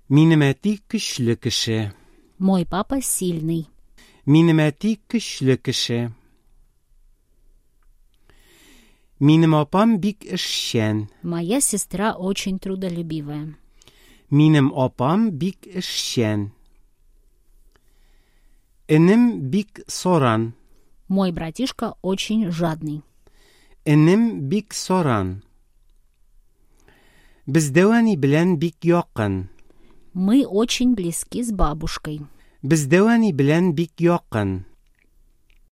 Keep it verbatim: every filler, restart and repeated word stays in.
Минем әти көчле кеше. Мой папа сильный. Минем әти көчле кеше. Минем апам бик эшчән. Моя сестра очень трудолюбивая. Минем апам бик эшчән. Энем бик саран. Мой братишка очень жадный. Энем бик саран. Без дәү әни белән бик якын. Мы очень близки с бабушкой. Без дәү әни белән бик якын.